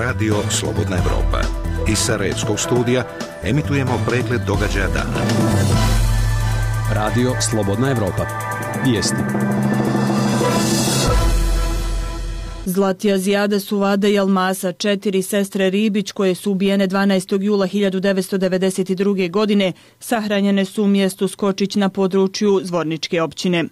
Radio Slobodna Evropa. Iz Sarajevskog studija emitujemo pregled događaja dana. Radio Slobodna Evropa. Vijesti. Zlatija Zijada Suvada i Almasa, 4 sestre Ribić koje su ubijene 12. jula 1992. godine, sahranjene su u mjestu Skočić na području Zvorničke općine.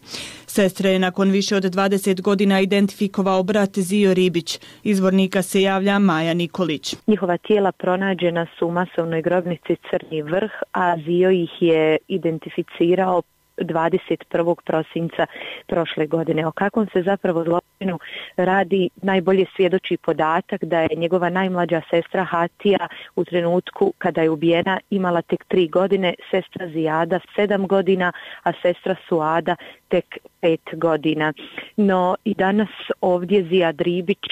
Sestre je nakon više od 20 godina identifikovao brat Zio Ribić. Iz Zvornika se javlja Maja Nikolić. Njihova tijela pronađena su u masovnoj grobnici Crni Vrh, a Zio ih je identificirao 21. prosinca prošle godine. O kakvom se zapravo zločinu radi najbolje svjedoči podatak da je njegova najmlađa sestra Hatija u trenutku kada je ubijena imala tek 3 godine, sestra Zijada 7 godina, a sestra Suada tek 5 godina. No i danas ovdje Zijad Ribić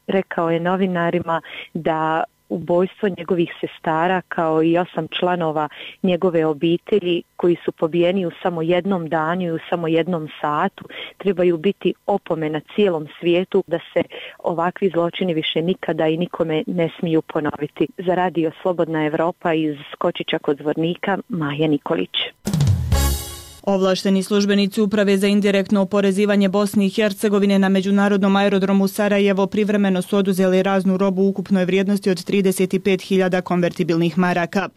rekao je novinarima da ubojstvo njegovih sestara kao i 8 članova njegove obitelji koji su pobijeni u samo jednom danu i u samo jednom satu trebaju biti opomena cijelom svijetu da se ovakvi zločini više nikada i nikome ne smiju ponoviti. Za Radio Slobodna Evropa iz Skočića kod Zvornika, Maja Nikolić. Ovlašteni službenici Uprave za indirektno oporezivanje Bosne i Hercegovine na međunarodnom aerodromu Sarajevo privremeno su oduzeli raznu robu u ukupnoj vrijednosti od 35.000 konvertibilnih maraka.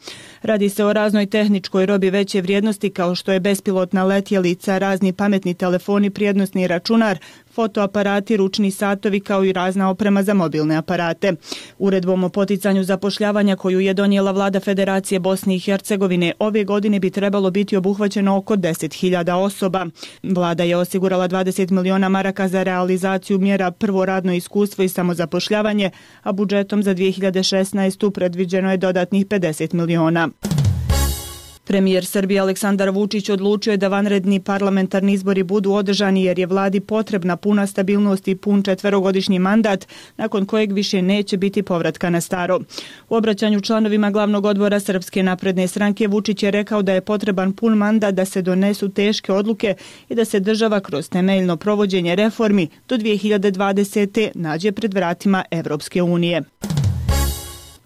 Radi se o raznoj tehničkoj robi veće vrijednosti kao što je bespilotna letjelica, razni pametni telefoni, prijenosni računar, fotoaparati, ručni satovi kao i razna oprema za mobilne aparate. Uredbom o poticanju zapošljavanja koju je donijela vlada Federacije Bosne i Hercegovine ove godine bi trebalo biti obuhvaćeno oko 10.000 osoba. Vlada je osigurala 20 miliona maraka za realizaciju mjera prvo radno iskustvo i samozapošljavanje, a budžetom za 2016. predviđeno je dodatnih 50 miliona. Premijer Srbije Aleksandar Vučić odlučio je da vanredni parlamentarni izbori budu održani jer je vladi potrebna puna stabilnost i pun 4-godišnji mandat nakon kojeg više neće biti povratka na staro. U obraćanju članovima glavnog odbora Srpske napredne stranke Vučić je rekao da je potreban pun mandat da se donesu teške odluke i da se država kroz temeljno provođenje reformi do 2020. nađe pred vratima Evropske unije.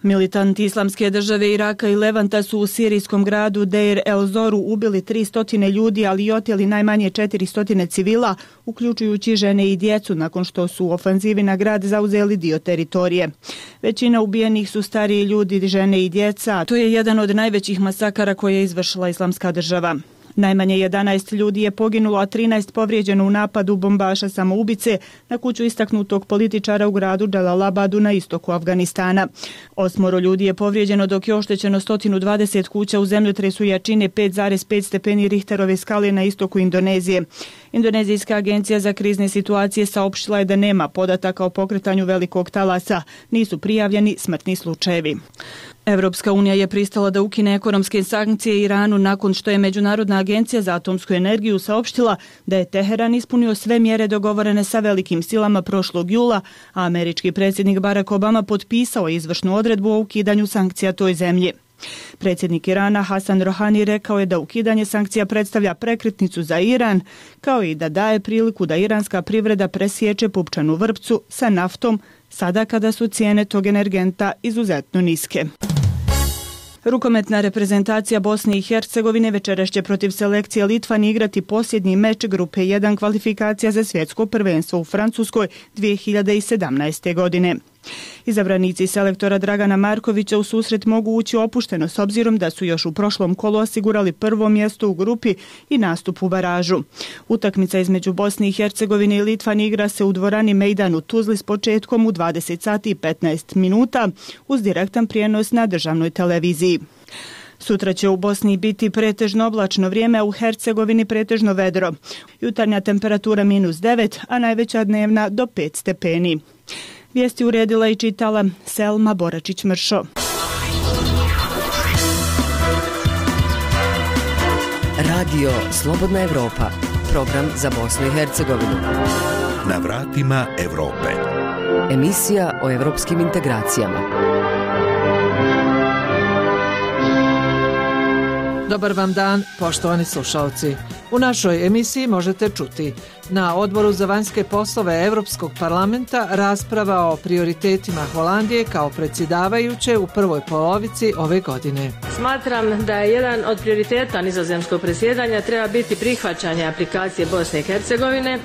Militanti Islamske države Iraka i Levanta su u sirijskom gradu Deir el-Zoru ubili 300 ljudi, ali i oteli najmanje 400 civila, uključujući žene i djecu, nakon što su u ofanzivi na grad zauzeli dio teritorije. Većina ubijenih su stariji ljudi, žene i djeca. To je jedan od najvećih masakara koje je izvršila Islamska država. Najmanje 11 ljudi je poginulo, a 13 povrijeđeno u napadu bombaša samoubice na kuću istaknutog političara u gradu Džalalabadu na istoku Afganistana. 8 ljudi je povrijeđeno dok je oštećeno 120 kuća u zemljotresu jačine 5,5 stepeni Richterove skale na istoku Indonezije. Indonezijska agencija za krizne situacije saopštila je da nema podataka o pokretanju velikog talasa. Nisu prijavljeni smrtni slučajevi. Evropska unija je pristala da ukine ekonomske sankcije Iranu nakon što je Međunarodna agencija za atomsku energiju saopštila da je Teheran ispunio sve mjere dogovorene sa velikim silama prošlog jula, a američki predsjednik Barack Obama potpisao izvršnu odredbu o ukidanju sankcija toj zemlji. Predsjednik Irana Hasan Rohani rekao je da ukidanje sankcija predstavlja prekretnicu za Iran, kao i da daje priliku da iranska privreda presječe pupčanu vrpcu sa naftom, sada kada su cijene tog energenta izuzetno niske. Rukometna reprezentacija Bosne i Hercegovine večeras će protiv selekcije Litvani igrati posljednji meč grupe 1 kvalifikacija za svjetsko prvenstvo u Francuskoj 2017. godine. Izabranici selektora Dragana Markovića u susret mogu ući opušteno s obzirom da su još u prošlom kolu osigurali prvo mjesto u grupi i nastup u baražu. Utakmica između Bosne i Hercegovine i Litvani igra se u dvorani Mejdan u Tuzli s početkom u 20 sati i 15 minuta uz direktan prijenos na državnoj televiziji. Sutra će u Bosni biti pretežno oblačno vrijeme, a u Hercegovini pretežno vedro. Jutarnja temperatura -9, a najveća dnevna do 5 stepeni. Vijesti uredila i čitala Selma Boračić-Mršo. Radio Slobodna Evropa, program za Bosnu i Hercegovinu. Na vratima Evrope. Emisija o evropskim integracijama. Dobar vam dan, poštovani slušalci. U našoj emisiji možete čuti: na Odboru za vanjske poslove Europskog parlamenta rasprava o prioritetima Holandije kao predsjedavajuće u prvoj polovici ove godine. Smatram da je jedan od prioriteta nizozemskog predsjedanja treba biti prihvaćanje aplikacije Bosne i Hercegovine,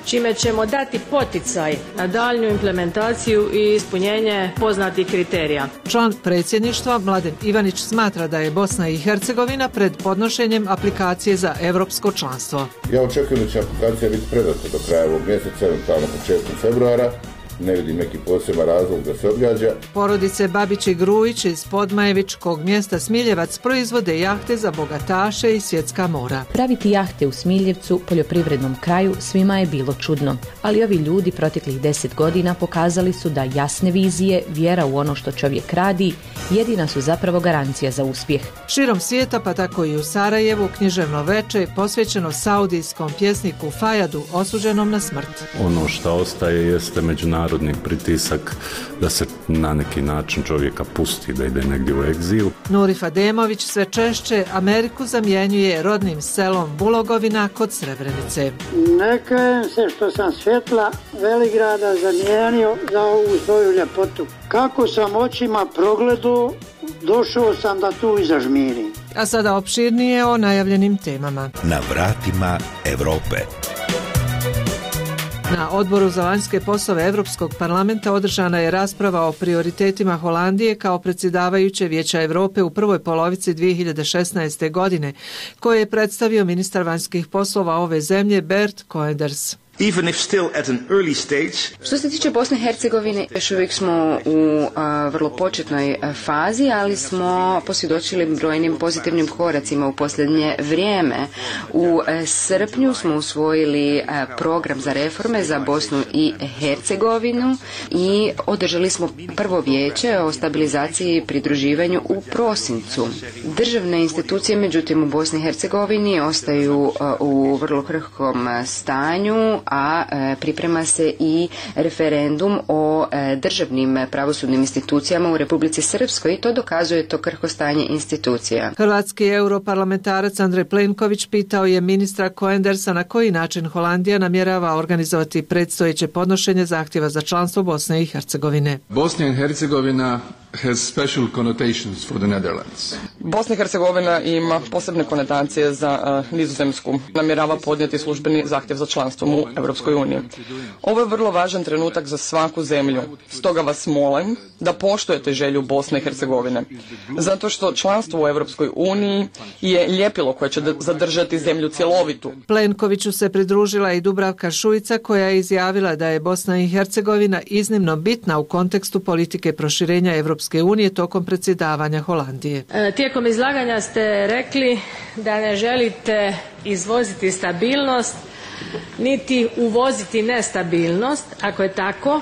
čime ćemo dati poticaj na daljnju implementaciju i ispunjenje poznatih kriterija. Član predsjedništva Mladen Ivanić smatra da je Bosna i Hercegovina pred podnošenjem aplikacije za europsko članstvo. Ja očekujem da će aplikacija biti predata do kraja ovog mjeseca, eventualno početkom februara. Ne vidim neki poseban razlog da se odgađa. Porodice Babić i Grujić iz Podmajevičkog mjesta Smiljevac proizvode jahte za bogataše i svjetska mora. Praviti jahte u Smiljevcu, poljoprivrednom kraju, svima je bilo čudno. Ali ovi ljudi proteklih 10 godina pokazali su da jasne vizije, vjera u ono što čovjek radi, jedina su zapravo garancija za uspjeh. Širom svijeta, pa tako i u Sarajevu, književno veče posvećeno saudijskom pjesniku Fajadu, osuđenom na smrt. Ono što ostaje jeste međunarodni pritisak da se na neki način čovjeka pusti da ide negdje u egzil. Nurif Ademović sve češće Ameriku zamjenjuje rodnim selom Bulogovina kod Srebrenice. Ne kajem se što sam svjetla Veligrada zamijenio za ovu svoju ljepotu. Kako sam očima progledao, došao sam da tu i zažmirim. A sada opširnije o najavljenim temama. Na vratima Europe. Na Odboru za vanjske poslove Europskog parlamenta održana je rasprava o prioritetima Holandije kao predsjedavajuće Vijeća Europe u prvoj polovici 2016. godine, koje je predstavio ministar vanjskih poslova ove zemlje Bert Koenders. Even if still at an early stage. Što se tiče Bosne i Hercegovine, još uvijek smo u vrlo početnoj fazi, ali smo posvjedočili brojnim pozitivnim koracima u posljednje vrijeme. U srpnju smo usvojili program za reforme za Bosnu i Hercegovinu i održali smo prvo vijeće o stabilizaciji i pridruživanju u prosincu. Državne institucije, međutim, u Bosni i Hercegovini ostaju u vrlo krhkom stanju, a priprema se i referendum o državnim pravosudnim institucijama u Republici Srpskoj i to dokazuje to krhko stanje institucija. Hrvatski europarlamentarac Andrej Plenković pitao je ministra Koendersa na koji način Holandija namjerava organizovati predstojeće podnošenje zahtjeva za članstvo Bosne i Hercegovine. Bosna i Hercegovina has special connotations for the Netherlands. Bosna i Hercegovina ima posebne konotacije za Nizozemsku. Namjerava podnijeti službeni zahtjev za članstvom u Europskoj uniji. Ovo je vrlo važan trenutak za svaku zemlju. Stoga vas molim da poštujete želju Bosne i Hercegovine. Zato što članstvo u Europskoj uniji je ljepilo koje će zadržati zemlju cjelovitu. Plenkoviću se pridružila i Dubravka Šuica koja je izjavila da je Bosna i Hercegovina iznimno bitna u kontekstu politike proširenja Europske unije tokom predsjedavanja Holandije. Tijekom izlaganja ste rekli da ne želite izvoziti stabilnost niti uvoziti nestabilnost. Ako je tako,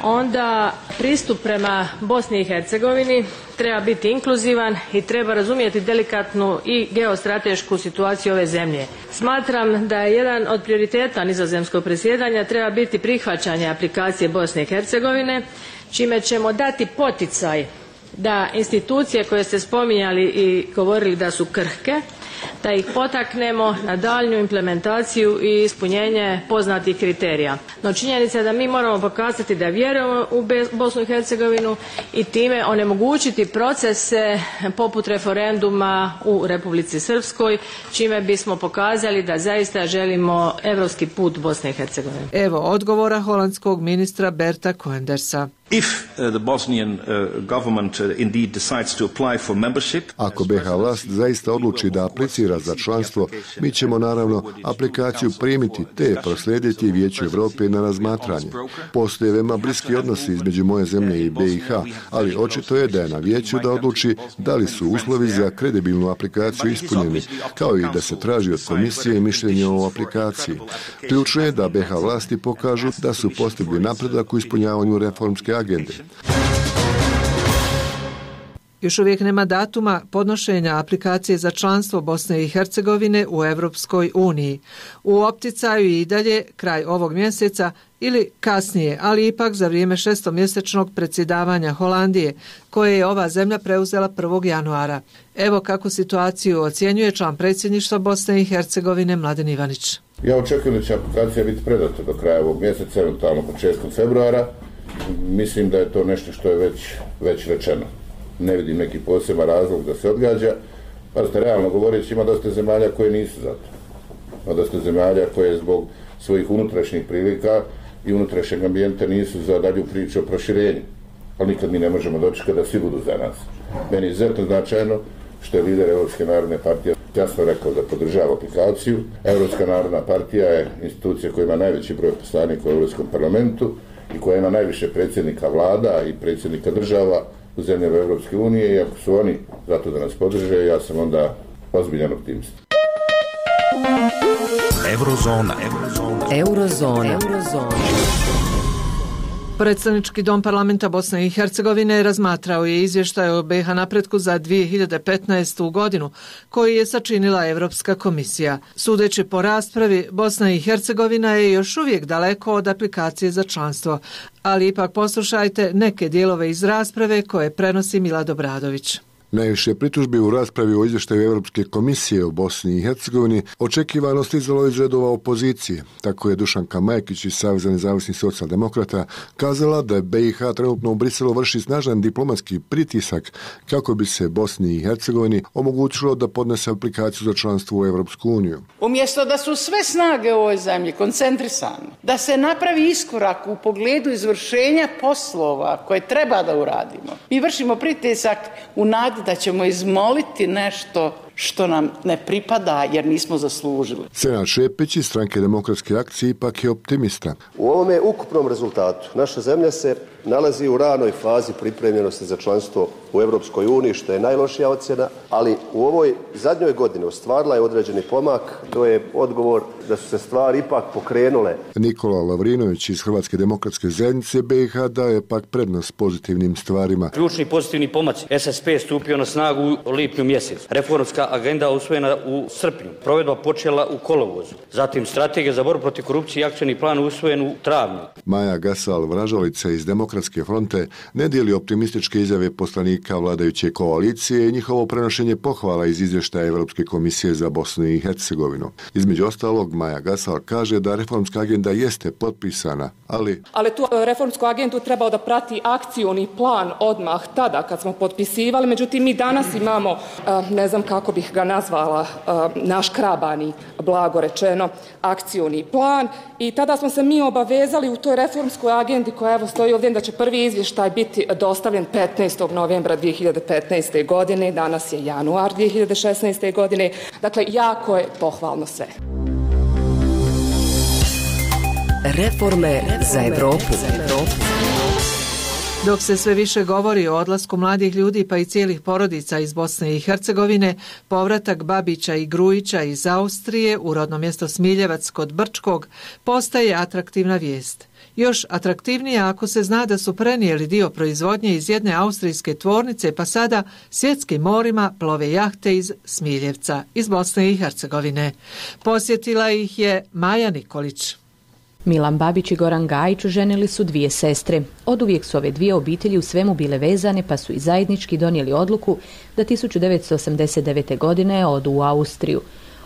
onda pristup prema Bosni i Hercegovini treba biti inkluzivan i treba razumjeti delikatnu i geostratešku situaciju ove zemlje. Smatram da je jedan od prioriteta nizozemskog predsjedanja treba biti prihvaćanje aplikacije Bosne i Hercegovine, čime ćemo dati poticaj da institucije koje ste spominjali i govorili da su krhke, da ih potaknemo na daljnju implementaciju i ispunjenje poznatih kriterija. No činjenica je da mi moramo pokazati da vjerujemo u Bosnu i Hercegovinu i time onemogućiti procese poput referenduma u Republici Srpskoj, čime bismo pokazali da zaista želimo europski put Bosne i Hercegovine. Evo odgovora holandskog ministra Berta Koendersa. If the Bosnian government indeed decides to apply for membership. Ako BiH vlast zaista odluči da aplicira za članstvo, mi ćemo naravno aplikaciju primiti te proslijediti Vijeću Europe na razmatranje. Postoje veoma bliski odnosi između moje zemlje i BiH, ali očito je da je na Vijeću da odluči da li su uslovi za kredibilnu aplikaciju ispunjeni, kao i da se traži od komisije mišljenje o aplikaciji. Ključno je da BiH vlasti pokažu da su postigli napredak u ispunjavanju reformske agende. Još uvijek nema datuma podnošenja aplikacije za članstvo Bosne i Hercegovine u Europskoj uniji. U opticaju i dalje kraj ovog mjeseca ili kasnije, ali ipak za vrijeme šestomjesečnog predsjedavanja Holandije, koje je ova zemlja preuzela 1. januara. Evo kako situaciju ocjenjuje član predsjedništva Bosne i Hercegovine Mladen Ivanić. Ja očekujem da će aplikacija biti predata do kraja ovog mjeseca, eventualno početkom februara. Mislim da je to nešto što je već rečeno. Ne vidim neki poseban razlog da se odgađa. Pazite, realno govoreći, ima dosta zemalja koje nisu za to. Ima dosta zemalja koje zbog svojih unutrašnjih prilika i unutrašnjeg ambijenta nisu za dalju priču o proširenju. Ali nikad mi ne možemo dočekati da svi budu za nas. Meni je izuzetno značajno što je lider Europske narodne partije jasno rekao da podržava aplikaciju. Europska narodna partija je institucija koja ima najveći broj poslanika u Europskom parlamentu i koja ima najviše predsjednika vlada i predsjednika država u zemljama Europske unije i ako su oni zato da nas podrže, ja sam onda ozbiljan optimist. Eurozona. Predstavnički dom parlamenta Bosne i Hercegovine razmatrao je izvještaj o BiH napretku za 2015. godinu koji je sačinila Europska komisija. Sudeći po raspravi, Bosna i Hercegovina je još uvijek daleko od aplikacije za članstvo, ali ipak poslušajte neke dijelove iz rasprave koje prenosi Milad Obradović. Najviše pritužbi u raspravi o izvještaju Europske komisije o Bosni i Hercegovini očekivano stizalo iz redova opozicije. Tako je Dušanka Majkić iz Saveza nezavisnih socijaldemokrata kazala da BiH trenutno u Briselu vrši snažan diplomatski pritisak kako bi se Bosni i Hercegovini omogućilo da podnese aplikaciju za članstvo u Europsku uniju. Umjesto da su sve snage u ovoj zemlji koncentrisane, da se napravi iskorak u pogledu izvršenja poslova koje treba da uradimo, mi vršimo pritisak u nadi da ćemo izmoliti nešto što nam ne pripada jer nismo zaslužili. Senad Šepić iz Stranke demokratske akcije ipak je optimista. U ovome ukupnom rezultatu naša zemlja se nalazi u ranoj fazi pripremljenosti za članstvo u Europskoj uniji, što je najlošija ocjena, ali u ovoj zadnjoj godini ostvarila je određeni pomak. To je odgovor da su se stvari ipak pokrenule. Nikola Lavrinović iz Hrvatske demokratske zajednice BiH daje pak prednost pozitivnim stvarima. Ključni pozitivni pomaci. SSP stupio na snagu u lipnju mjesec. Reformska agenda usvojena u srpnju. Provedba počela u kolovozu. Zatim strategija za borbu protiv korupcije i akcioni plan usvojen u travnju. Maja Gasal-Vražalica iz Demokratske fronte ne dijeli optimističke izjave poslanika vladajuće koalicije i njihovo prenošenje pohvala iz izvještaja Europske komisije za Bosnu i Hercegovinu. Između ostalog, Maja Gasal kaže da reformska agenda jeste potpisana, ali tu reformsku agendu trebao da prati akcioni plan odmah tada kad smo potpisivali, međutim mi danas imamo, ne znam kako bih ga nazvala, naškrabani, blago rečeno, akcioni plan i tada smo se mi obavezali u toj reformskoj agendi koja evo stoji ovdje da će prvi izvještaj biti dostavljen 15. novembra 2015. godine, danas je januar 2016. godine, dakle jako je pohvalno sve. Reforme za Europu. Dok se sve više govori o odlasku mladih ljudi pa i cijelih porodica iz Bosne i Hercegovine, povratak Babića i Grujića iz Austrije u rodno mjesto Smiljevac kod Brčkog postaje atraktivna vijest. Još atraktivnija ako se zna da su prenijeli dio proizvodnje iz jedne austrijske tvornice pa sada svjetskim morima plove jahte iz Smiljevca, iz Bosne i Hercegovine. Posjetila ih je Maja Nikolić. Milan Babić i Goran Gajić ženili su dvije sestre. Oduvijek su ove dvije obitelji u svemu bile vezane pa su i zajednički donijeli odluku da 1989. godine odu u Austriju.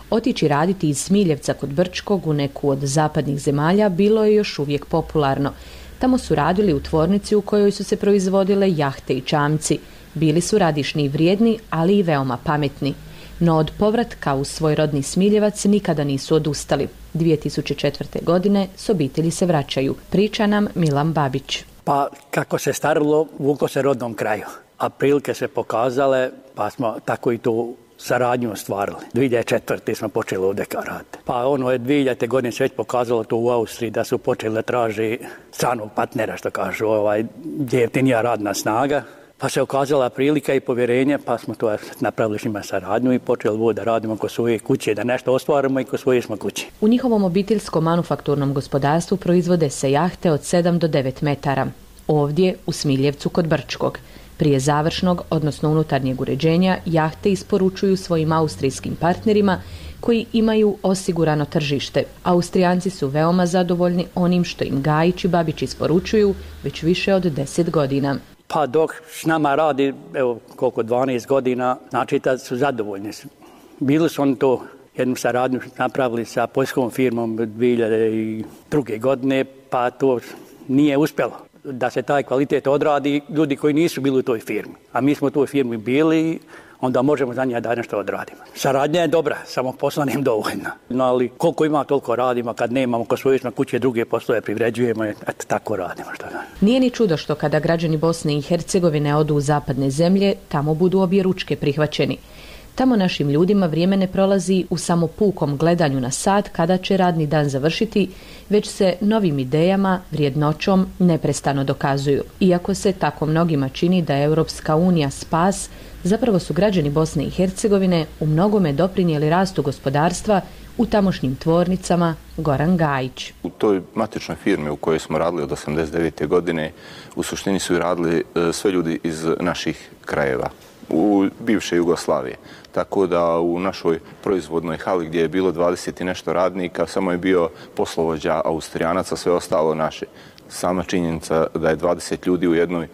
Otići raditi iz Smiljevca kod Brčkog u neku od zapadnih zemalja bilo je još uvijek popularno. Tamo su radili u tvornici u kojoj su se proizvodile jahte i čamci. Bili su radišni i vrijedni, ali i veoma pametni. No od povratka u svoj rodni Smiljevac nikada nisu odustali. 2004. godine s obitelji se vraćaju. Priča nam Milan Babić. Pa kako se starilo, vuko se rodnom kraju. A prilike se pokazale, pa smo tako i tu saradnju ostvarili. 2004. smo počeli ovdje raditi. Pa je 2000. godine se već pokazalo to u Austriji da su počeli da traži stranog partnera, što kažu, gdje je jeftinija radna snaga. Pa se okazala prilika i povjerenje, pa smo to napravili s njima saradnju i počeli da radimo kod svoje kuće, da nešto ostvarimo i kod svoje smo kuće. U njihovom obiteljskom manufakturnom gospodarstvu proizvode se jahte od 7 do 9 metara. Ovdje, u Smiljevcu kod Brčkog. Prije završnog, odnosno unutarnjeg uređenja, jahte isporučuju svojim austrijskim partnerima koji imaju osigurano tržište. Austrijanci su veoma zadovoljni onim što im Gajić i Babić isporučuju već više od 10 godina. Pa dok s nama radi, evo koliko 12 godina, znači da su zadovoljni. Bili su oni to jednu saradnju napravili sa poljskom firmom 2002. godine, pa to nije uspjelo da se taj kvalitet odradi ljudi koji nisu bili u toj firmi. A mi smo u toj firmi bili, onda možemo za njega da nešto odradimo. Saradnja je dobra, samo posla nije dovoljna. No, ali koliko ima, toliko radimo, kad nemamo ko svoje na kuće druge poslove privređujemo, eto tako radimo. Što da. Nije ni čudo što kada građani Bosne i Hercegovine odu u zapadne zemlje, tamo budu objeručke prihvaćeni. Tamo našim ljudima vrijeme ne prolazi u samo pukom gledanju na sat kada će radni dan završiti, već se novim idejama, vrijednoćom neprestano dokazuju. Iako se tako mnogima čini da je Europska unija spas, zapravo su građani Bosne i Hercegovine u mnogome doprinijeli rastu gospodarstva u tamošnjim tvornicama. Goran Gajić. U toj matičnoj firmi u kojoj smo radili od 1989. godine u suštini su i radili sve ljudi iz naših krajeva u bivše Jugoslavije. Tako da u našoj proizvodnoj hali gdje je bilo 20 i nešto radnika samo je bio poslovođa Austrijanaca, sve ostalo naše. Sama činjenica da je 20 ljudi u jednoj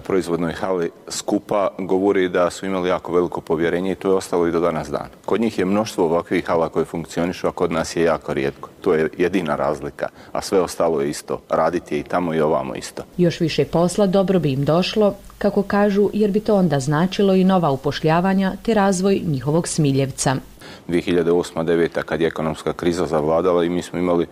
proizvodnoj hali skupa govori da su imali jako veliko povjerenje i to je ostalo i do danas dan. Kod njih je mnoštvo ovakvih hala koje funkcionišu, a kod nas je jako rijetko. To je jedina razlika, a sve ostalo je isto. Raditi je i tamo i ovamo isto. Još više posla dobro bi im došlo, kako kažu, jer bi to onda značilo i nova upošljavanja te razvoj njihovog Smiljevca. 2008-2009 kad je ekonomska kriza zavladala i mi smo imali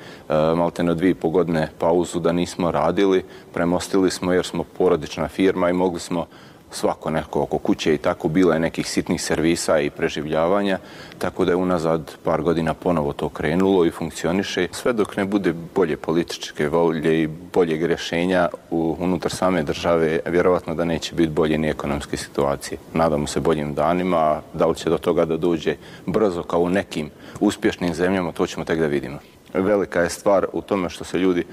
maltene 2,5 godine pauzu da nismo radili, premostili smo jer smo porodična firma i mogli smo svako neko oko kuće i tako, bilo je nekih sitnih servisa i preživljavanja, tako da je unazad par godina ponovo to krenulo i funkcioniše. Sve dok ne bude bolje političke volje i boljeg rješenja unutar same države, vjerovatno da neće biti bolje ni ekonomske situacije. Nadamo se boljim danima, da li će do toga da dođe brzo kao u nekim uspješnim zemljama, to ćemo tek da vidimo. Velika je stvar u tome što se ljudi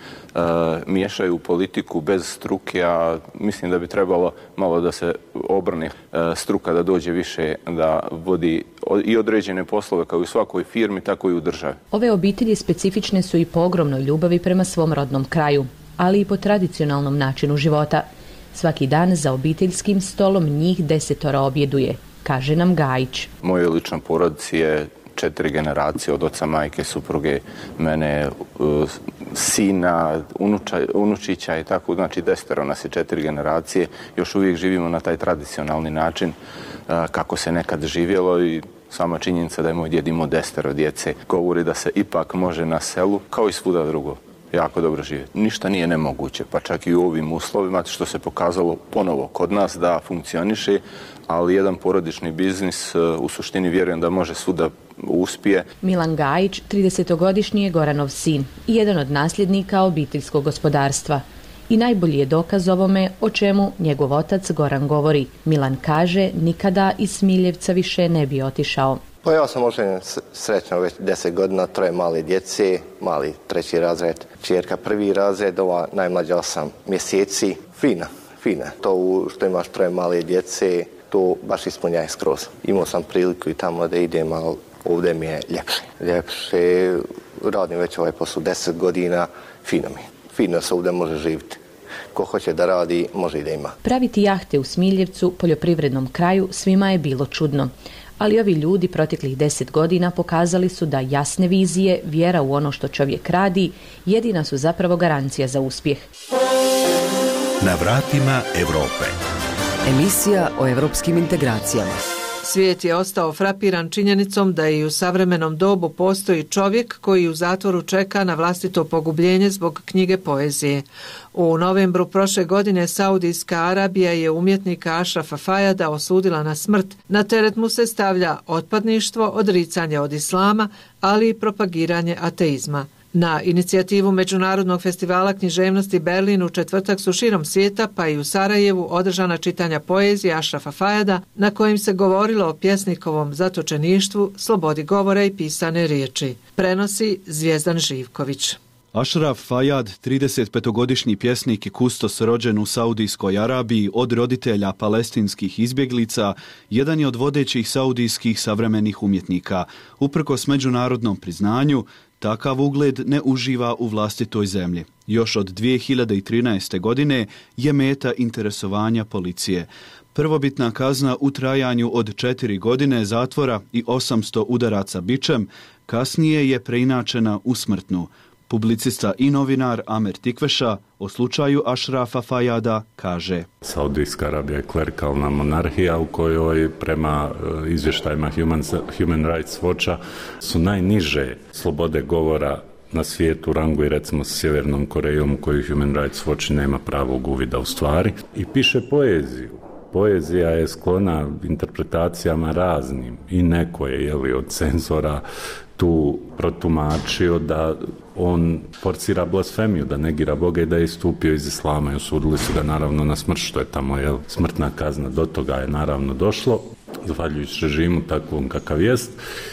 miješaju u politiku bez struke, a mislim da bi trebalo malo da se obrne struka, da dođe više, da vodi i određene poslove kao i u svakoj firmi, tako i u državi. Ove obitelji specifične su i po ogromnoj ljubavi prema svom rodnom kraju, ali i po tradicionalnom načinu života. Svaki dan za obiteljskim stolom njih 10 objeduje, kaže nam Gajić. Mojoj ličnoj porodici je 4 generacije od oca, majke, supruge, mene, sina, unučića i tako, znači 10 nas je 4 generacije. Još uvijek živimo na taj tradicionalni način kako se nekad živjelo i sama činjenica da je moj djed imao 10 djece govori da se ipak može na selu, kao i svuda drugo, jako dobro živjeti. Ništa nije nemoguće, pa čak i u ovim uslovima, što se pokazalo ponovo kod nas da funkcioniše, ali jedan porodični biznis u suštini vjerujem da može svuda uspije. Milan Gajić, 30-godišnji je Goranov sin i jedan od nasljednika obiteljskog gospodarstva. I najbolji je dokaz ovome o čemu njegov otac Goran govori. Milan kaže nikada iz Smiljevca više ne bi otišao. Pa ja sam oženjen srećno već 10 godina, 3 male djece, mali 3. razred, čerka 1. razred, ova najmlađa 8 mjeseci. Fina. To što imaš 3 male djece, to baš ispunjaje skroz. Imao sam priliku i tamo da idem, ali ovdje mi je ljepše. Radim već ovaj posao 10 godina, fino mi. Fino se ovdje može živjeti. Ko hoće da radi, može i da ima. Praviti jahte u Smiljevcu, poljoprivrednom kraju, svima je bilo čudno. Ali ovi ljudi proteklih 10 godina pokazali su da jasne vizije, vjera u ono što čovjek radi, jedina su zapravo garancija za uspjeh. Na vratima Europe. Emisija o europskim integracijama. Svijet je ostao frapiran činjenicom da i u savremenom dobu postoji čovjek koji u zatvoru čeka na vlastito pogubljenje zbog knjige poezije. U novembru prošle godine Saudijska Arabija je umjetnika Ašrafa Fajada osudila na smrt. Na teret mu se stavlja otpadništvo, odricanje od islama, ali i propagiranje ateizma. Na inicijativu Međunarodnog festivala književnosti Berlin u četvrtak su širom svijeta, pa i u Sarajevu, održana čitanja poezije Ašrafa Fajada, na kojim se govorilo o pjesnikovom zatočeništvu, slobodi govora i pisane riječi. Prenosi Zvijezdan Živković. Ashraf Fayad, 35-godišnji pjesnik i kustos rođen u Saudijskoj Arabiji od roditelja palestinskih izbjeglica, jedan je od vodećih saudijskih savremenih umjetnika. Uprkos međunarodnom priznanju, takav ugled ne uživa u vlastitoj zemlji. Još od 2013. godine je meta interesovanja policije. Prvobitna kazna u trajanju od 4 godine zatvora i 800 udaraca bičem, kasnije je preinačena u smrtnu. Publicista i novinar Amer Tikveša o slučaju Ashrafa Fayada kaže: Saudijska Arabija je klerikalna monarhija u kojoj prema izvještajima Human Rights Watcha su najniže slobode govora na svijetu, rangu i recimo s Sjevernom Korejom u kojoj Human Rights Watch nema pravog uvida u stvari, i piše poeziju. Poezija je sklona interpretacijama raznim i neko je od cenzora tu protumačio da on forcira blasfemiju, da negira Boga i da je istupio iz islama i osudili su ga naravno na smrt, što je tamo smrtna kazna. Do toga je naravno došlo, zahvaljujući režimu takvom kakav jest.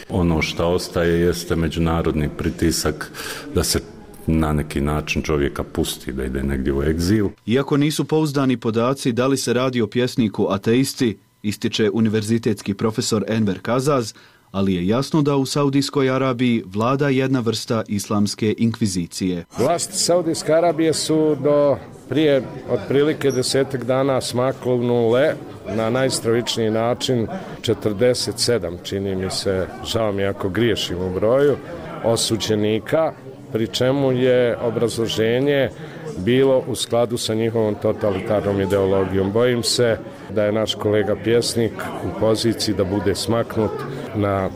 Ono što ostaje jeste međunarodni pritisak da se na neki način čovjeka pusti, da ide negdje u egzil. Iako nisu pouzdani podaci da li se radi o pjesniku ateisti, ističe univerzitetski profesor Enver Kazaz, ali je jasno da u Saudijskoj Arabiji vlada jedna vrsta islamske inkvizicije. Vlasti Saudijske Arabije su do prije otprilike 10 dana smaknule na najstravičniji način 47, čini mi se, žao mi ako griješim u broju, osuđenika, pri čemu je obrazloženje bilo u skladu sa njihovom totalitarnom ideologijom. Bojim se da je naš kolega pjesnik u poziciji da bude smaknut na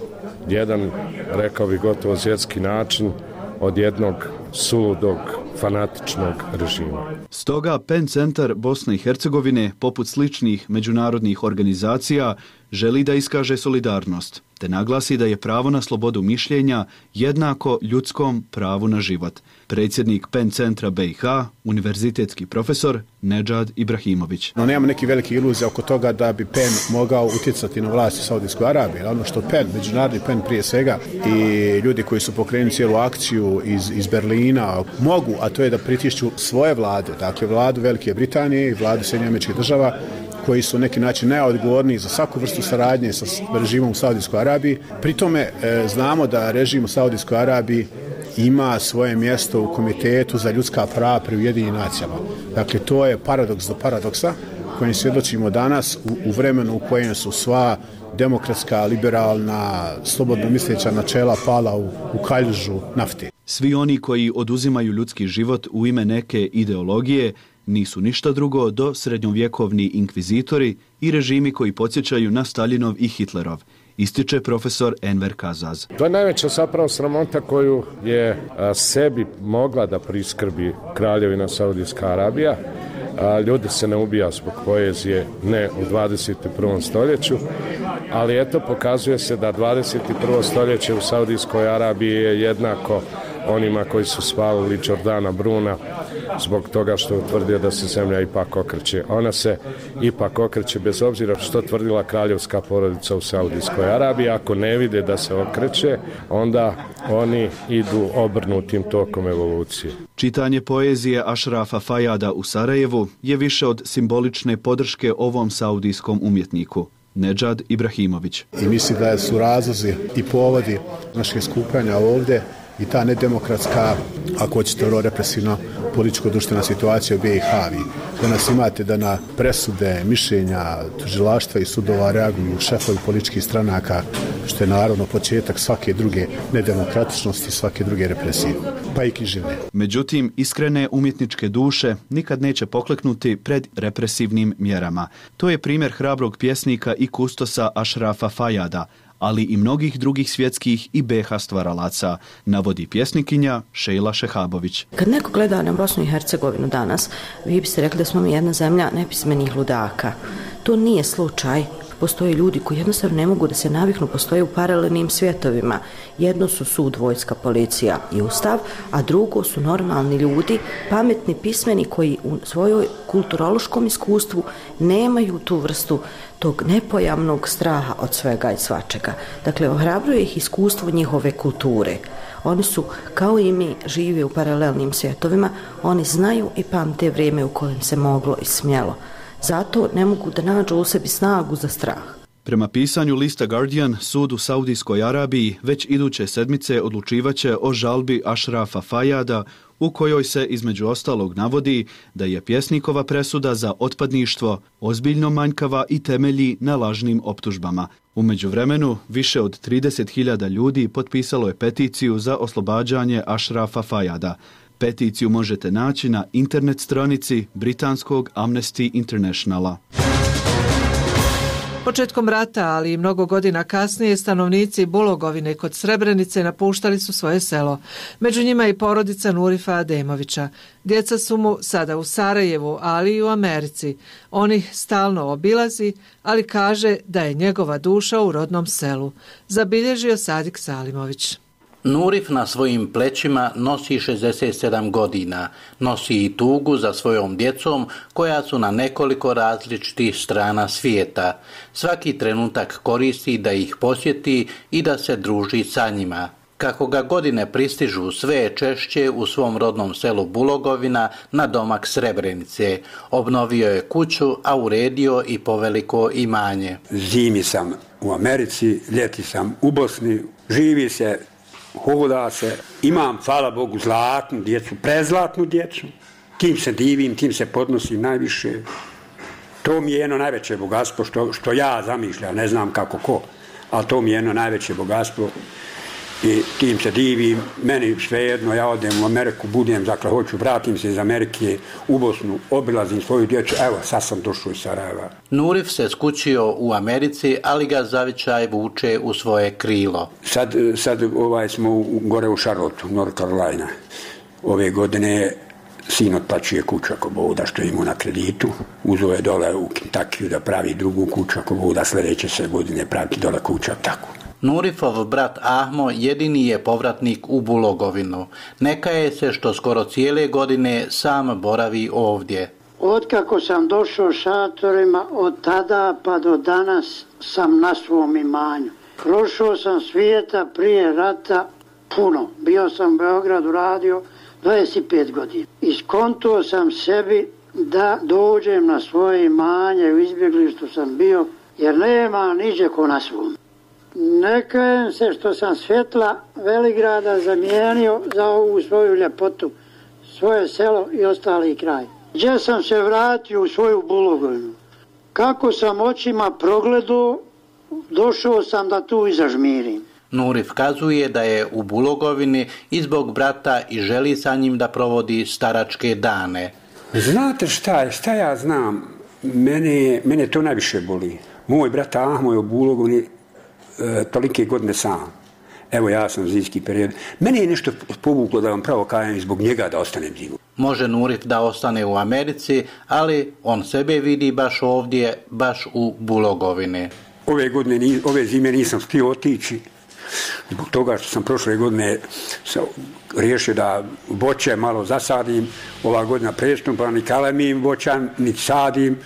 jedan, rekao bih, gotovo svjetski način od jednog suludog, fanatičnog režima. Stoga PEN centar Bosne i Hercegovine, poput sličnih međunarodnih organizacija, želi da iskaže solidarnost, te naglasi da je pravo na slobodu mišljenja jednako ljudskom pravu na život. Predsjednik PEN centra BiH, univerzitetski profesor Nedžad Ibrahimović. No, nemamo neki veliki iluzija oko toga da bi PEN mogao utjecati na vlast u Saudijskoj Arabiji. Ono što PEN, međunarodni PEN prije svega, i ljudi koji su pokrenuli cijelu akciju iz Berlina mogu, a to je da pritišću svoje vlade, dakle vladu Velike Britanije i vladu Sjedinjenih Američkih Država, koji su neki način najodgovorniji za svaku vrstu saradnje sa režimom u Saudijskoj Arabiji. Pri tome znamo da režim u Saudijskoj Arabiji ima svoje mjesto u Komitetu za ljudska prava pri Ujedinjenim nacijama. Dakle, to je paradoks do paradoksa kojim svjedočimo danas u vremenu u kojem su sva demokratska, liberalna, slobodno misleća načela pala u kaljužu nafte. Svi oni koji oduzimaju ljudski život u ime neke ideologije nisu ništa drugo do srednjovjekovni inkvizitori i režimi koji podsjećaju na Staljinov i Hitlerov, ističe profesor Enver Kazaz. To je najveća zapravo sramota koju je sebi mogla da priskrbi kraljevina Saudijska Arabija. Ljudi se ne ubija zbog poezije, ne u 21. stoljeću, ali eto, pokazuje se da 21. stoljeće u Saudijskoj Arabiji je jednako onima koji su spalili Jordana Bruna zbog toga što je utvrdio da se zemlja ipak okreće. Ona se ipak okreće bez obzira što tvrdila kraljevska porodica u Saudijskoj Arabiji. Ako ne vide da se okreće, onda oni idu obrnutim tokom evolucije. Čitanje poezije Ashrafa Fayada u Sarajevu je više od simbolične podrške ovom saudijskom umjetniku. Nedžad Ibrahimović. I misli da su razlozi i povodi našeg skupljanja ovdje i ta nedemokratska, ako hoćete, represivno političko-društvena situacija u BiH. Danas imate da na presude, mišljenja, tužilaštva i sudova reaguju šefovi političkih stranaka, što je naravno početak svake druge nedemokratičnosti, svake druge represije, pa i književne. Međutim, iskrene umjetničke duše nikad neće pokleknuti pred represivnim mjerama. To je primjer hrabrog pjesnika i kustosa Ashrafa Fayada, ali i mnogih drugih svjetskih i BiH stvaralaca, navodi pjesnikinja Šejla Šehabović. Kad neko gleda na Bosnu i Hercegovinu danas, vi biste rekli da smo mi jedna zemlja nepismenih ludaka. To nije slučaj. Postoje ljudi koji jednostavno ne mogu da se naviknu, postoje u paralelnim svjetovima. Jedno su sud, vojska, policija i ustav, a drugo su normalni ljudi, pametni, pismeni, koji u svojoj kulturološkom iskustvu nemaju tu vrstu tog nepojamnog straha od svega i svačega. Dakle, ohrabruje ih iskustvo njihove kulture. Oni su, kao i mi, žive u paralelnim svjetovima, oni znaju i pamte vrijeme u kojem se moglo i smjelo. Zato ne mogu da nađu u sebi snagu za strah. Prema pisanju lista Guardian, sud u Saudijskoj Arabiji već iduće sedmice odlučivaće o žalbi Ašrafa Fajada, u kojoj se između ostalog navodi da je pjesnikova presuda za otpadništvo ozbiljno manjkava i temelji na lažnim optužbama. U međuvremenu, više od 30.000 ljudi potpisalo je peticiju za oslobađanje Ašrafa Fajada. Peticiju možete naći na internet stranici britanskog Amnesty Internationala. Početkom rata, ali i mnogo godina kasnije, stanovnici Bulogovine kod Srebrenice napuštali su svoje selo. Među njima i porodica Nurifa Ademovića. Djeca su mu sada u Sarajevu, ali i u Americi. On ih stalno obilazi, ali kaže da je njegova duša u rodnom selu. Zabilježio Sadik Salimović. Nurif na svojim plećima nosi 67 godina, nosi i tugu za svojom djecom koja su na nekoliko različitih strana svijeta. Svaki trenutak koristi da ih posjeti i da se druži sa njima. Kako ga godine pristižu, sve je češće u svom rodnom selu Bulogovina na domak Srebrenice. Obnovio je kuću, a uredio i poveliko imanje. Zimi sam u Americi, ljeti sam u Bosni, živi se, hoda se, imam, hvala Bogu, zlatnu djecu, prezlatnu djecu, tim se divim, tim se podnosim najviše. To mi je jedno najveće bogatstvo što ja zamišljam, ne znam kako ko, ali to mi je jedno najveće bogatstvo i tim se divim. Meni svejedno, ja odem u Ameriku, budem, dakle, hoću, vratim se iz Amerike u Bosnu, obilazim svoju djecu, evo, sad sam došao iz Sarajeva. Nurif se skućio u Americi, ali ga zavičaj vuče u svoje krilo. Sad smo gore u Charlotteu, North Carolina. Ove godine sin otplaćuje kuću ako Bog da, što je imao na kreditu. Uzeo je dole u Kentuckyu da pravi drugu kuću ako Bog da, sljedeće se godine praviti dole kuća, tako. Nurifov brat Ahmo jedini je povratnik u Bulogovinu. Ne kaje se što skoro cijele godine sam boravi ovdje. Otkako sam došao šatorima, od tada pa do danas sam na svom imanju. Prošao sam svijeta prije rata puno. Bio sam u Beogradu radio 25 godina. Iskontuo sam sebi da dođem na svoje imanje, u izbjeglištu sam bio, jer nema niđe ko na svom. Ne kajem se što sam svjetla Veligrada zamijenio za ovu svoju ljepotu, svoje selo i ostali kraj. Gdje sam se vratio u svoju Bulogovinu. Kako sam očima progledao, došao sam da tu i zažmirim. Nurif kazuje da je u Bulogovini i zbog brata i želi sa njim da provodi staračke dane. Znate šta ja znam? Mene to najviše boli. Moj brat Ahmo je u Bulogovini tolike godine sam. Evo, ja sam zimski period. Mene je nešto povuklo, da vam pravo kajem, zbog njega da ostanem zimu. Može Nurif da ostane u Americi, ali on sebe vidi baš ovdje, baš u Bulogovini. Ove zime nisam htio otići, zbog toga što sam prošle godine riješio da voće malo zasadim. Ova godina prestupa, ni kalemim voća, ni sadim.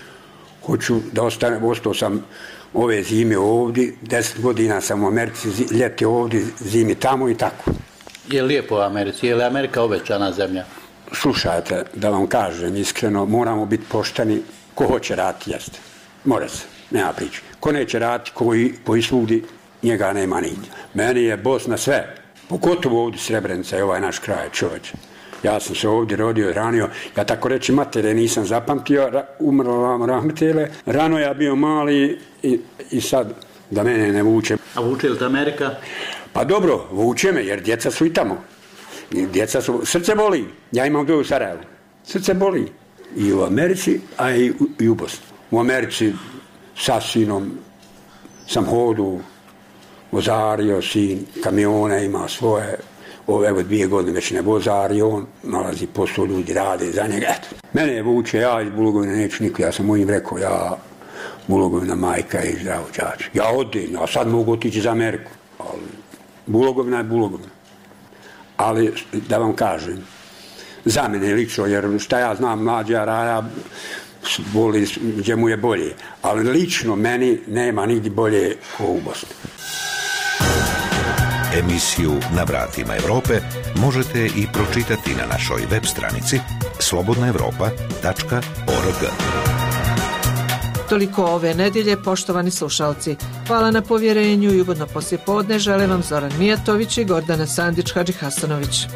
Hoću da ostao sam ove zime ovdje, 10 godina sam u Americi, ljeti ovdje, zimi tamo i tako. Je lijepo u Americi? Je li Amerika obećana zemlja? Slušajte, da vam kažem iskreno, moramo biti pošteni. Ko hoće raditi, jeste. Mora se, nema priče. Ko neće raditi, koji svudi, njega nema nigdje. Meni je Bosna sve, pogotovo ovdje Srebrenica je ovaj naš kraj, čovječe. Ja sam se ovdje rodio, ranio, ja tako reći matere nisam zapamtio, umrlo vam rahmetele, rano ja bio mali i sad da mene ne vuče. A vuče li te Amerika? Pa dobro, vuče me jer djeca su i tamo. Srce boli, ja imam dvoje u Sarajevu, srce boli. I u Americi, a i u Bosni. U Americi sa sinom sam hodu, vozario sin, kamione ima svoje. Evo 2 godine već ne vozari, on nalazi posao, ljudi rade za njega. Eto. Mene je vuče, ja iz Bulogovine neću niko, ja sam mojim rekao, ja Bulogovina majka i zdravo čač. Ja odim, ja sad mogu otići za Ameriku, ali Bulogovina je Bulogovina. Ali da vam kažem, za mene lično, jer šta ja znam, mlađa raja, boli gdje mu je bolje, ali lično meni nema nigdje bolje kao u Bosni. Emisiju Na vratima Europe možete i pročitati na našoj web stranici slobodnaevropa.org. Toliko ove nedjelje, poštovani slušalci. Hvala na povjerenju i ugodno poslijepodne žele vam Zoran Mijatović i Gordana Sandić-Hadžihasanović.